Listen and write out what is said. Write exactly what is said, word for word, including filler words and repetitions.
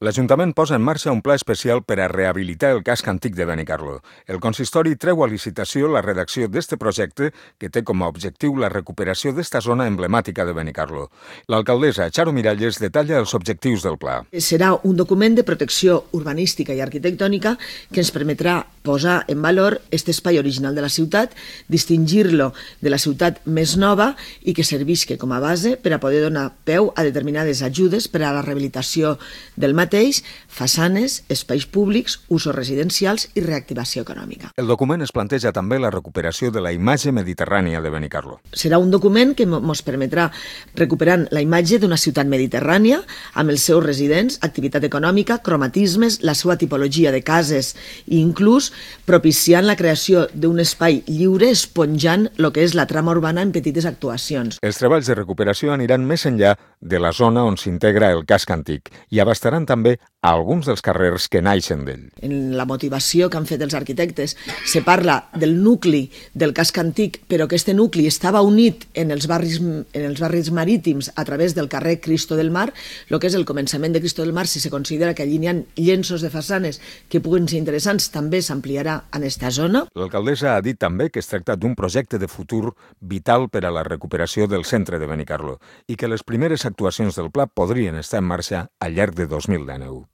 L'Ajuntament posa en marxa un pla especial per a rehabilitar el casc antic de Benicarló. El consistori treu a licitació la redacció d'este projecte que té com a objectiu la recuperació d'esta zona emblemàtica de Benicarló. L'alcaldessa Charo Miralles detalla els objectius del pla. Serà un document de protecció urbanística i arquitectònica que ens permetrà posar en valor aquest espai original de la ciutat, distingir-lo de la ciutat més nova i que servisca com a base per a poder donar peu a determinades ajudes per a la rehabilitació del mateix, façanes, espais públics, usos residencials i reactivació econòmica. El document es planteja també la recuperació de la imatge mediterrània de Benicarló. Serà un document que ens permetrà recuperar la imatge d'una ciutat mediterrània amb els seus residents, activitat econòmica, cromatismes, la seva tipologia de cases i inclús propiciant la creació d'un espai lliure esponjant el que és la trama urbana en petites actuacions. Els treballs de recuperació aniran més enllà de la zona on s'integra el casc antic i abastaran també a alguns dels carrers que naixen d'ell. En la motivació que han fet els arquitectes se parla del nucli del casc antic, però que aquest nucli estava unit en els barris, en els barris marítims a través del carrer Cristo del Mar, el que és el començament de Cristo del Mar, si se considera que allí n'hi ha llenços de façanes que puguen ser interessants, també s'ampliarà en aquesta zona. L'alcaldessa ha dit també que es tracta d'un projecte de futur vital per a la recuperació del centre de Benicarló i que les primeres actuacions del pla podrien estar en marxa al llarg de dos mil dinou.